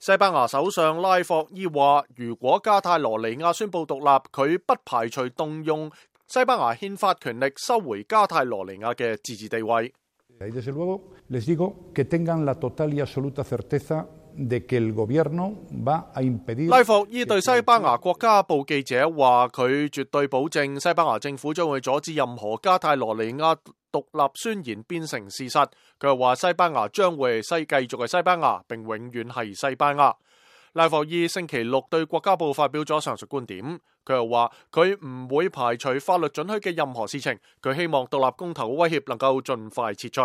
西班牙首相拉霍伊話，如果加泰羅尼亞宣布獨立，佢不排除動用西班牙憲法權力收回加泰羅尼亞嘅自治地位。拉霍伊對西班牙國家報記者話，佢絕對保證西班牙政府將會阻止任何加泰羅尼亞獨立宣言變成事實。佢又話西班牙將會繼續係西班牙，並永遠係西班牙。拉霍伊星期六對國家報發表咗上述觀點。佢又話佢唔會排除法律准許嘅任何事情。佢希望獨立公投嘅威脅能夠盡快撤除。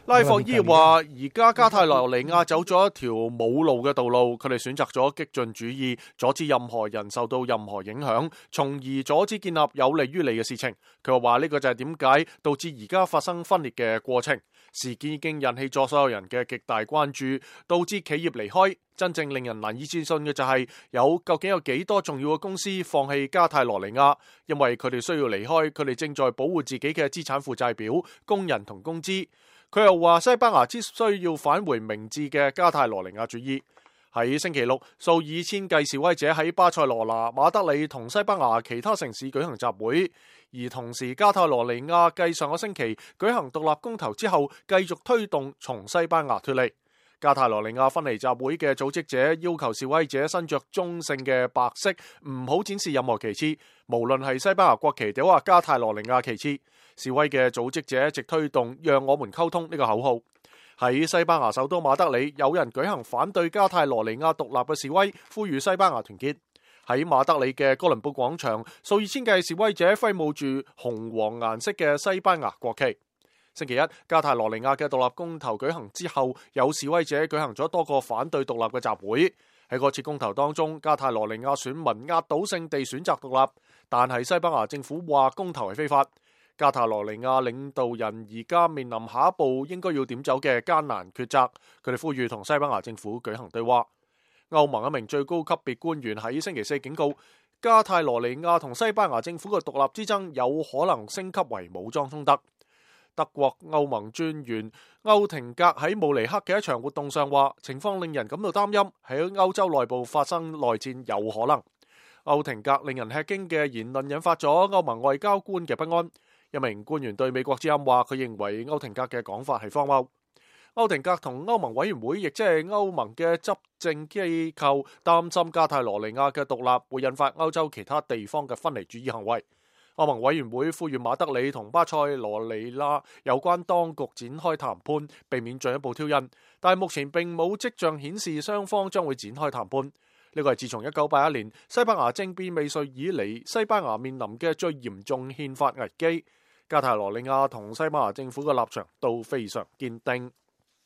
拉霍伊話：而家加泰羅尼亞走咗一條冇路嘅道路，佢哋選擇咗激進主義，阻止任何人受到任何影響，從而阻止建立有利於你嘅事情。佢又話呢個就係點解導致而家發生分裂嘅過程。事件已經引起咗所有人嘅極大關注，導致企業離開。真正令人難以置信嘅就係究竟有幾多重要嘅公司放棄加泰羅尼亞，因為佢哋需要離開，佢哋正在保護自己嘅資產負債表、工人同工資。佢又話西班牙只需要返回明智嘅加泰羅尼亞主義。喺星期六，數以千計示威者喺巴塞羅那、馬德里同西班牙其他城市舉行集會，而同時加泰羅尼亞繼上個星期舉行獨立公投之後，繼續推動從西班牙脫離。加泰羅尼亞分離集會嘅組織者要求示威者身着中性嘅白色，唔好展示任何旗幟，無論係西班牙國旗定或加泰羅尼亞旗幟。示威嘅組織者一直推動讓我們溝通呢個口號。喺西班牙首都馬德里，有人舉行反對加泰羅尼亞獨立嘅示威，呼籲西班牙團結。喺馬德里嘅哥倫布廣場，數以千計示威者揮舞住紅黃顏色嘅西班牙國旗。星期一，加泰羅尼亞嘅獨立公投舉行之後，有示威者舉行咗多個反對獨立嘅集會。喺嗰次公投當中，加泰羅尼亞選民壓倒性地選擇獨立，但係西班牙政府話公投係非法。加泰羅尼亞領導人而家面臨下一步應該要點走嘅艱難抉擇，佢哋呼籲同西班牙政府舉行對話。歐盟一名最高級別官員喺星期四警告，加泰羅尼亞同西班牙政府嘅獨立之爭有可能升級為武裝衝突。德國歐盟專員歐廷格喺慕尼黑嘅一場活動上話，情況令人感到擔憂，喺歐洲內部發生內戰有可能。歐廷格令人吃驚嘅言論引發咗歐盟外交官嘅不安。一名官員對美國之音話，佢認為歐廷格嘅講法係荒謬。歐廷格同歐盟委員會，亦即係歐盟嘅執政機構，擔心加泰羅尼亞嘅獨立會引發歐洲其他地方嘅分離主義行為。歐盟委員會呼籲馬德里同巴塞羅尼亞有關當局展開談判，避免進一步挑釁，但係目前並冇跡象顯示雙方將會展開談判。呢個係自從1981年西班牙政變未遂以嚟，西班牙面臨嘅最嚴重憲法危機。加泰羅尼亞同西班牙政府嘅立場都非常堅定。